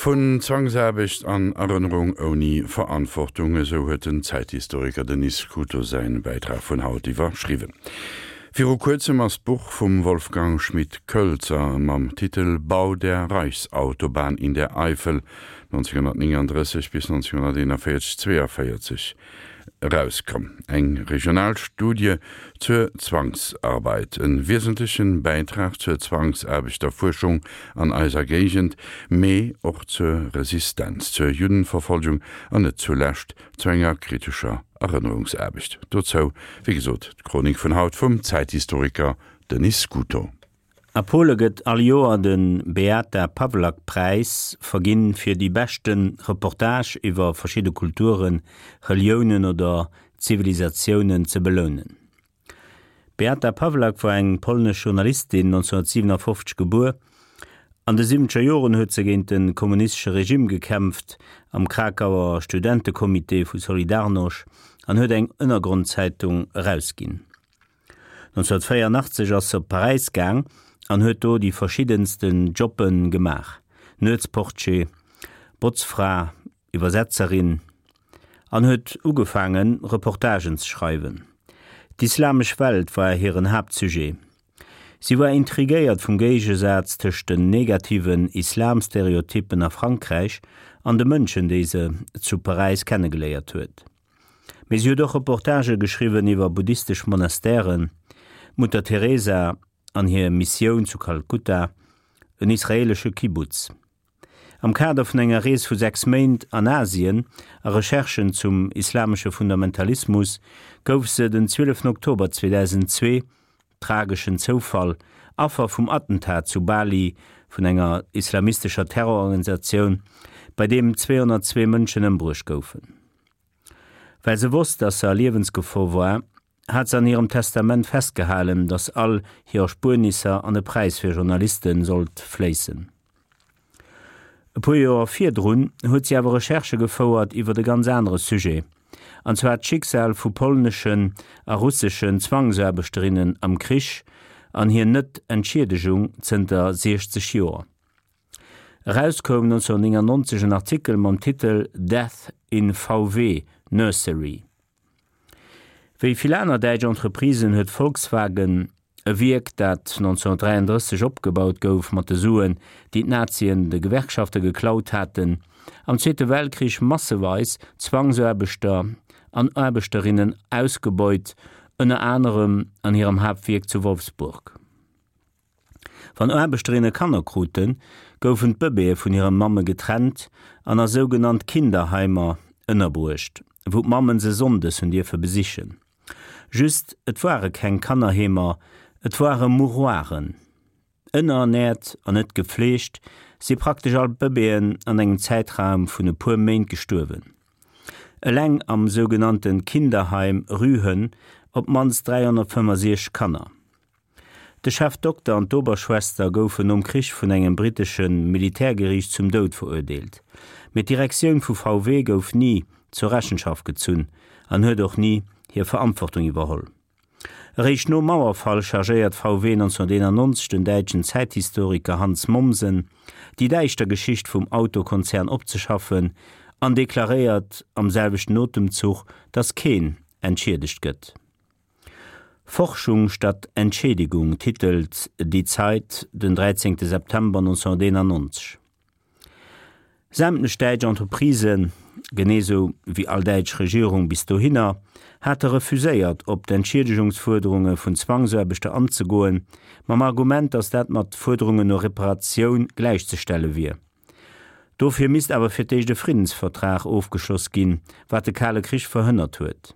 Vun Zwangsaarbecht an Erënnerung ouni Verantwortung, esou huet den Zäithistoriker Denis Scuto säin Bäitrag vun haut iwwerschriwwen. Viru kuerzem ass d'Buch vum Wolfgang Schmidt-Kölzer mam Titel Bau der Reichsautobahn in der Eifel 1939 bis 1941, 42 erauskomm. Eng regional Studie zur Zwangsarbeit, e wiesentlechen Bäitrag zur Zwangsaarbechterfuerschung an eiser Géigend, mee och zur Resistenz, zur Juddenverfolgung an net zulescht zu enger kritescher Erënnerungsaarbecht. Dozou, wéi gesot, d'Chronik vun haut vum Zäithistoriker Denis Scuto. A Pole gëtt all Joer de Beata Pawlak Präis verginn fir déi beschte Reportage iwwer verschidde Kulturen, Reliounen oder Zivilisatiounen ze belounen. D'Beata Pawlak war eng polnesch Journalistin, 1957 gebuer. An de siwwenzeger Joren huet se géint de kommunistesche Regime gekämpft am Krakauer Studentecomité vu Solidarność an huet eng Ënnergrondzeitung erausginn. 1984 ass se op Paräis gaang an huet do déi verschiddensten Jobbe gemaach, Nuetsportier, Botzfra, Iwwersetzerin, an huet ugefaangen, Reportagen ze schreiwen. D'islamesch Welt war hiren Haaptsujet. Si war intrigéiert vum Géigesaz tëscht den negativen Islamstereotyppen a Frankräich an de Mënschen, déi se zu Paräis kennegeléiert huet. Mee si huet och Reportagë geschriwwen iwwer buddhistesch Monastèren, d'Mutter Teresa an hir Missioun zu Kalkutta, en israeelesche Kibbutz. Am Kader vun enger Rees vu 6 Méint an Asien a Recherchen zum islamesche Fundamentalismus gouf se den 12 Oktober 2002, trageschen Zoufall, Affer vum Attentat zu Bali vun enger islamistescher Terrororganisatioun, bei deem 202 Mënschen ëmbruecht goufen. Well se wosst, dass se a Liewensgefor war, hat se an hirem Testament festgehalen, dass all hir Erspuernisser an e Präis fir Journaliste sollt fléissen. E puer Joer virdrun huet si awer Recherchë gefouert iwwer e ganz anere Sujet, an zwar d'Schicksal vu polneschen a russeschen Zwangsaarbechterinnen am Krich an hir Net-Entschiedegung zënter 60 Joer. Eraus koum 1999 en Artikel mam Titel Death in VW Nursery. Wéi vill aner däitsch Entreprisen huet Volkswagen, e Wierk dat 1933 opgebaut gouf mat de Suen, déi d'Nazien de Gewerkschafte geklaut haten, am Zweete Weltkrich masseweis Zwangsaarbechter an Aarbechterinnen ausgebeut, ënner anerem an hirem Haaptwierk zu Wolfsburg. Wann Aarbechterinne Kanner kruten, goufen d'Bëbeeë vun hire Mamme getrennt an a sougenannt Kinderheimer ënnerbruecht, wou d'Mammen se sonndes hunn dierfe besichen. Just, et ware keng Kannerheemer, et ware Mouroiren. Ënnerernäert an net gefleegt, si praktesch all d'Bëbeeën an engem Zäitraum vun e puer Méint gestuerwen. Eleng am sougenannte Kinderheim Rühen op d'mannst 365 Kanner. De Chefdokter an d'Oberschwester goufen nom Krich vun engem brittesche Militärgeriicht zum Doud verurdeelt, mee d'Direktioun vu VW gouf ni zur Rechenschaft gezunn an huet och ni hir Verantwortung iwwerholl. Eréischt nom Mauerfall chargéiert VW 1991 den däitschen Zäithistoriker Hans Mommsen, déi däischter Geschicht vum Autokonzern opzeschaffen an deklaréiert am selwechten Otemzuch, datt keen entschiedegt gëtt. Forschung statt Entschädigung titelt Die Zeit den 13 September 1991. Sämtlech däitsch Entreprisen, genee sou wéi all däitsch Regierung bis dohinner, hate refuséiert op d'Enschiedegungsfuerderunge vun Zwangsaarbechter anzegoen, mam Argument, datt dat mat Fuerderungen no Reparatioun gläichzestelle wier. Dofir misst awer fir d'éischt e Friddensvertrag ofgeschloss ginn, wat de Kale Krich verhënnert huet.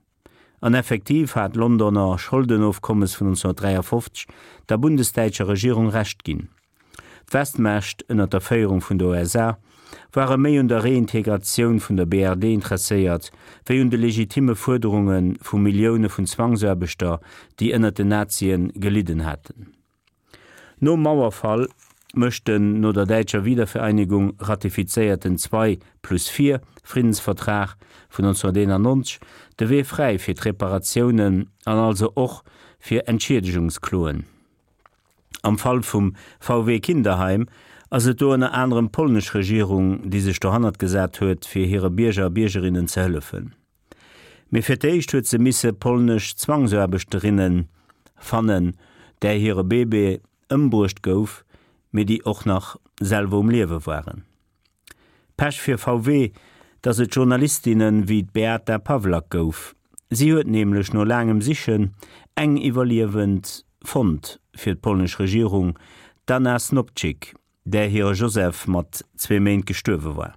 An effektiv hat d'Londoner Scholdenofkommes vun 1953 der bundesdäitscher Regierung Recht ginn. D'Westmächt, ënner der Féierung vun der USA, ware méi un der Reintegratioun vun der BRD interesséiert, wéi un de legitime Fuerderunge vu Millioune vun Zwangsaarbechter, déi ënner den Nazie gelidden haten. Nom Mauerfall mécht den no der däitscher Wiedervereinigung ratifizéierten Zwei-plus-vier Friddensvertrag vun 1991 de Wee fräi fir d'Reparatiounen an also och fir Entschiedegungskloen. Am Fall vum VW Kinderheim. Ass et do ënner anerem d'polnesch Regierung, déi sech dohannert gesat huet, fir hire Bierger a Biergerinnen ze hëllefen. Mee fir d'éischt huet se misse polnesch Zwangsaarbechterinne fannen, där hire Bébé ëmbruecht gouf, mee déi och nach selwer um Liewe waren. Pech fir VW, dass et Journalistinne wéi d'Beata Pawlak gouf. Si huet nämlech no laangem Sichen eng Iwwerliewend fonnt fir d'polnesch Regierung, d'Anna Snopczyk, där hire Joseph mat zwee Méint gestuerwe war.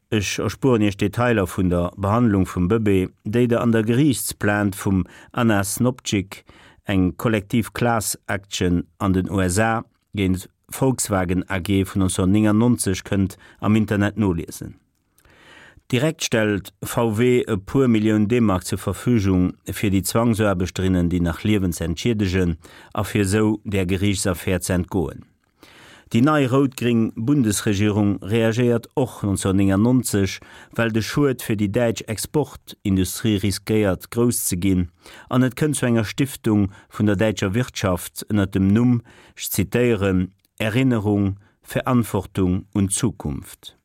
Ech erspueren Iech d'Detailer vun der Behandlung vum Bëbee, déi der an der Geriichtsplainte vum Anna Snopczyk, eng kollektiv Class Action an den USA géint Volkswagen AG vun 1999 kënnt am Internet noliesen. Direkt stellt VW e puer Millioun D-Mark zur Verfügung fir déi Zwangsaarbechterinnen déi nach liewen ze entschiedegen a fir esou där Geriichtsaffär ze entgoen. Déi nei rout-gréng Bundesregierung reagéiert och 1999, well de Schued fir déi däitsch Exportindustrie riskéiert grouss ze ginn an et kënnt zu enger Stiftung vun der däitscher Wirtschaft ënnert dem Numm, ech zitéieren, Erinnerung, Verantwortung und Zukunft.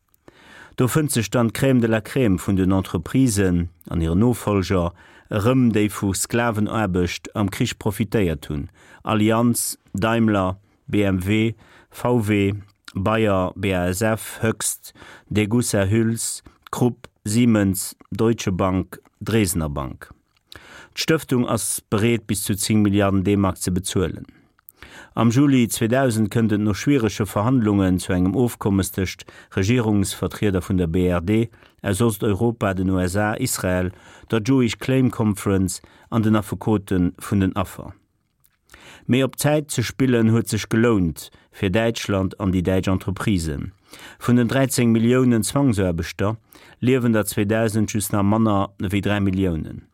Do fënnt sech dann d'Crème de la Crème vun den Entreprisen an hiren Nofolger erëm, déi vu Sklavenaarbecht am Krich profitéiert hunn, Allianz, Daimler, BMW, VW, Bayer, BASF, Hoechst, Degussa Hüls, Krupp, Siemens, Deutsche Bank, Dresdner Bank. D'Stëftung ass bereet bis zu 10 Milliarden D-Mark ze bezuelen. Am Juli 2000 kënnt et no schwierege Verhandlungen zu engem Ofkommes tëscht Regierungsvertrieder vun der BRD, aus Osteuropa, den USA, Israel, der Jewish Claim Conference an den Affekote vun den Affer. Mee op Zäit ze spillen huet sech gelount fir Däitschland an déi däitsch Entreprisen. Vun den 13 Milliounen Zwangsaarbechter liewen der 2000 just nach manner ewéi 3 Milliounen.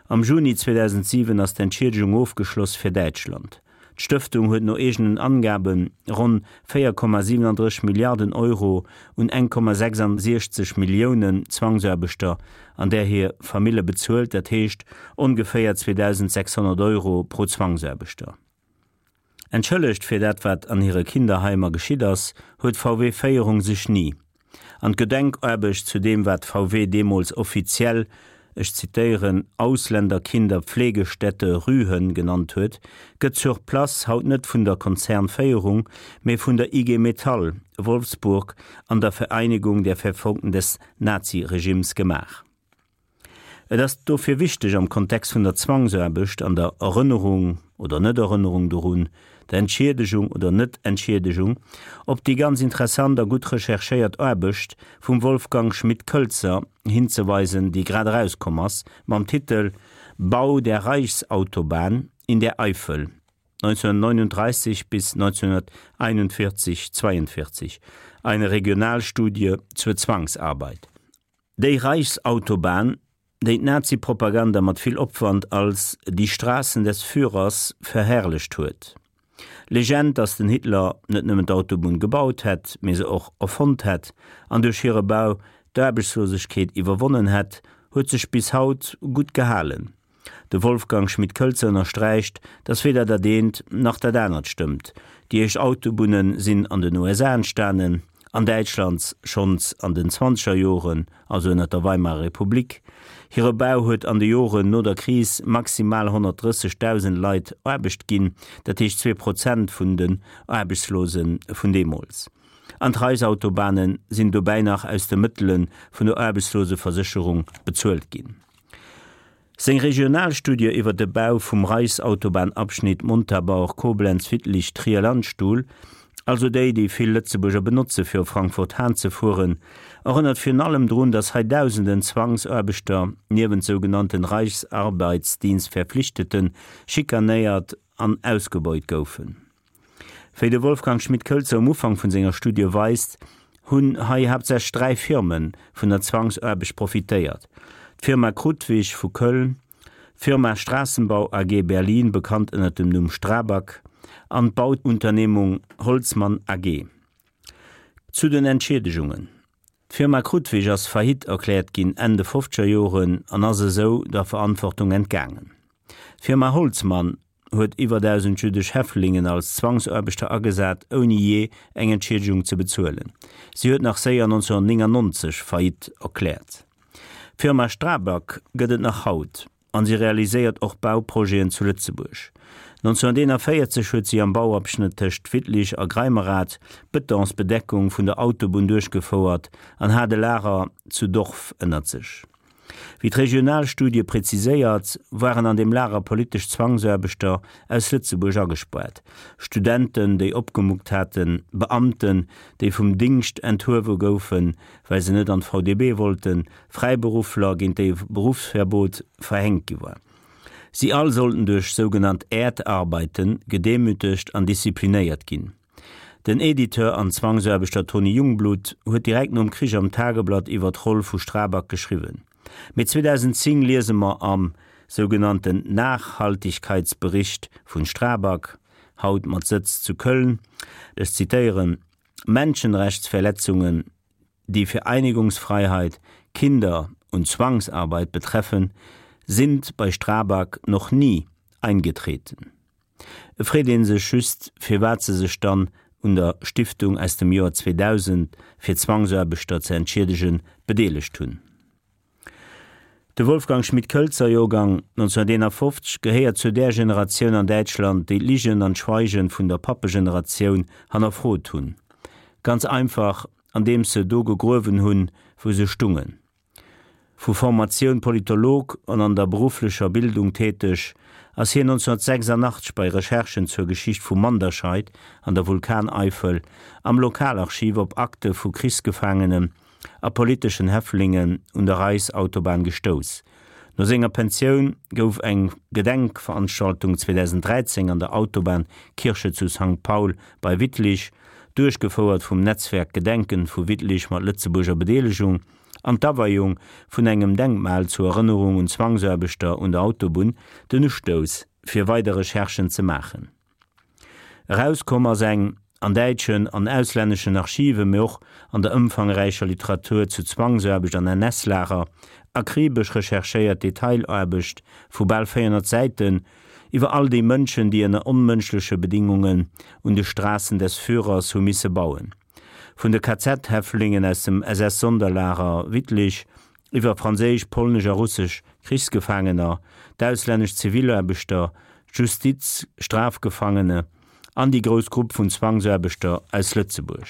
Am Juni 2007 ass d'Entschiedegung ofgeschloss fir Däitschland. D'Stëftung huet no eegenen Angabe ronn 4,37 Milliarden Euro un 1,66 Milliounen Zwangsaarbechter an där hir Famille bezuelt, dat heescht ongeféier 2.600 Euro pro Zwangsaarbechter. Entschëllegt fir dat wat an hire Kinderheimer geschitt ass, huet VW-Féierung sech ni. An d'Gedenkaarbecht zu deem wat VW deemools offiziell, ech zitéieren, Ausländerkinderpflegestätte Rühen genannt huet, gëtt sur place haut net vun der Konzernféierung, mee vun der IG Metall Wolfsburg an der Vereinigung der Verfolgten des Naziregimes gemaach. Et ass dofir wichteg am Kontext vun der Zwangsaarbecht an der Erënnerung oder Net-Erënnerung dorun, der Entschiedegung oder Net-Entschiedegung, op déi ganz interessant a gutt recherchéiert Aarbecht vum Wolfgang Schmidt-Kölzer hinzeweisen, déi grad erauskomm ass mam Titel Bau der Reichsautobahn in der Eifel 1939 bis 1941, 42, eine Regionalstudie zur Zwangsarbeit. Déi Reichsautobahn, déi d'Nazi-Propaganda mat vill Opwand als die Straßen des Führers verherrlecht huet. Legend, datt den Hitler net nëmmen d'Autobunn gebaut hätt, mee se och erfonnt hätt an duerch hire Bau d'Aarbechtslosegkeet iwwerwonnen hätt, huet sech bis haut gutt gehalen. De Wolfgang Schmidt-Kölzer ënnersträicht, datt weder dat eent nach dat anert stëmmt. Déi éischt Autobunne sinn an den USA entstanen, an Däitschland schonns an den zwanzeger Joren, also ënnert der Weimarer Republik. Hire Bau huet an de Joren no der Kris maximal 130.000 Leit Aarbecht ginn, dat heescht 2% vun den Aarbechtslose vun deemools. An d'Reichsautobahne sinn dobäi nach aus de Mëttele vun der Aarbechtsloseversécherung bezuelt ginn. Seng Regionalstudie iwwer de Bau vum Reichsautobahn-Abschnitt Montabaur-Koblenz-Wittlich-Trier-Landstuhl, also déi, déi vill Lëtzebuerger benotze fir op Frankfurt-Hahn ze fueren, erënnert virun allem drun, datt hei dausenden Zwangsaarbechter, niewent sougenannten Reichsarbeitsdienstverpflichteten, schikanéiert an ausgebeut goufen. Wéi de Wolfgang Schmidt-Kölzer um Ufank vun senger Studie weist, hunn hei haaptsächlech 3 Firme vun der Zwangsaarbecht profitéiert, d'Firma Krudwig vu Köln, d'Firma Straßenbau AG Berlin, bekannt ënner dem Numm Strabag, an d'Bauunternehmung Holzmann AG. Zu den Entschiedegungen, D'Firma Krudwig ass Faillite erkläert ginn Enn de fofzeger Joren an ass esou der Verantwortung entgaangen. D'Firma Holzmann. huet iwwer 1.000 jüddesch Häftlingen als Zwangsaarbechter agesat, ouni jee eng Entschiedegung ze bezuelen. Si huet nach séier 1999 Faillite erkläert. D'Firma Strabag gëtt et nach haut an si realiséiert och Bauprojeten zu Lëtzebuerg. 1941 huet si am Bauabschnëtt tëscht Wittlich a Greimerath d'Betonsbedeckung vun der Autobunn duerchgefouert an hat e Lager zu Dorf ënnert sech. Wéi d'Regionalstudie präziséiert, waren an deem Lager politesch Zwangsaarbechter aus Lëtzebuerg agespaart, Studenten, déi opgemuckt haten, Beamten, déi vum Dingscht enthuewe goufen, well se net an d'VDB wollten, Fräiberuffler, géint déi e Beruffsverbot verhänkt gi war. Si all sollten duerch sougenannt Erdarbeiten gedemütegt an disziplinéiert ginn. Den Editeur an Zwangsaarbechter Tony Jungblut huet direkt nom Krich am Tageblatt iwwer d'Roll vu Strabag geschriwwen. Mee 2010 liese mer am sougenannten Nachhaltigkeitsbericht vun Strabag, haut mat Sëtz zu Köln, ech zitéieren, Menschenrechtsverletzungen, die Vereinigungsfreiheit, Kinder und Zwangsarbeit betreffen, sind bei Strabag noch nie eingetreten. Et freet ee sech just, firwat se sech dann un der Stiftung aus dem Joer 2000, fir Zwangsaarbechter ze entschiedegen, bedeelegt hunn. De Wolfgang Schmidt-Kölzer, Joergang 1951, gehéiert zu där Generatioun an Däitschland, déi d'Ligen an d'Schweigen vun der Pappegeneratioun hannerfrot hunn. Ganz einfach, andeems se do gegruewen hunn, wou se stungen. Vu Formatioun Politolog an an der berufflecher Bildung täteg, ass hien 1986 bei Recherchen zur Geschicht vu Manderscheid an der Vulkaneifel am Lokalarchiv op Akte vu Krichsgefaangenen a politeschen Häftlingen un der Reichsautobahn gestouss. No senger Pensioun gouf eng Gedenkveranstaltung 2013 an der Autobahnkirche zu Sankt Paul bei Wittlich, duerchgefouert vum Netzwerk Gedenken vu Wittlich mat Lëtzebuerger Bedeelegung, an d'Aweiung vun engem Denkmal zur Erënnerung un Zwangsaarbechter un der Autobunn den Ustouss, fir weider Recherchen ze maachen. Erauskomm ass eng an däitschen an auslänneschen Archiven, mee och an der ëmfangräicher Literatur zu Zwangsaarbecht an NS-Lager akribesch recherchéiert Detailaarbecht vu bal 400 Säiten iwwer all déi Mënschen, déi ënner onmënschleche Bedingungen un de Straßen des Führers hu misse bauen. Vun de KZ-Häftlingen aus dem SS-Sonderlager Wittlich iwwer franséisch, polnesch a russesch Krichsgefaangener, d'auslännesch Zivilaarbechter, d'Justiz-Strafgefangene an déi grouss Grupp vun Zwangsaarbechter aus Lëtzebuerg.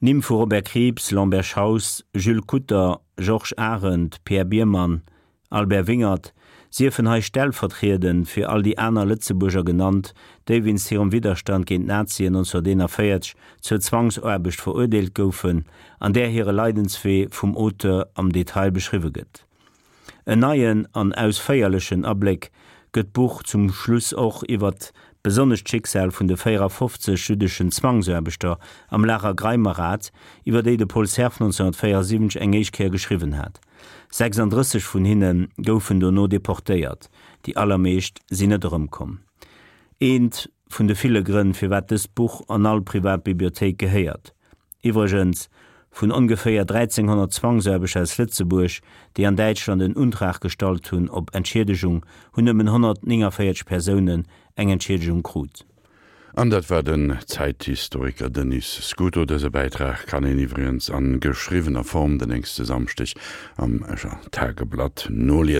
D'Nimm vu Robert Krieps, Lambert Schaus, Jules Kutter, Georges Arendt, Pierre Biermann, Albert Wingert, siefen hei stellvertriedend fir all déi aner Lëtzebuerger genannt, déi wéinst hirem Widderstand géint d'Nazien 1941 zur Zwangsaarbecht verurdeelt goufen, an där hire Leidenswee vum Auteur am Detail beschriwwe gëtt. En neien an ausféierlechen Abléck gëtt d'Buch zum Schluss och iwwer besonnesch d'Schicksal vun de 54 jüddeschen Zwangsaarbechter am Lager Greimerath, iwwer déi de Paul Cerf 1974 eng éischt Kéier geschriwwen hat. 36 vun hinne goufen dono deportéiert, déi allermeescht sinn net erëmkomm. Eent vun de ville Grënn, firwat dëst Buch an all privat Bibliothéik gehéiert. Iwwregens, vun ongeféier 1.300 Zwangsaarbechter aus Lëtzebuerg, déi an Däitschland en Untrag gestallt hunn op Entschiedegung, hunn nëmmen 149 Persounen eng Entschiedegung krut. An dat war den Zäithistoriker Denis Scuto. Dëse Bäitrag kann een iwwregens a geschriwwener Form den nächste Samschdeg am Escher Tageblatt noliesen.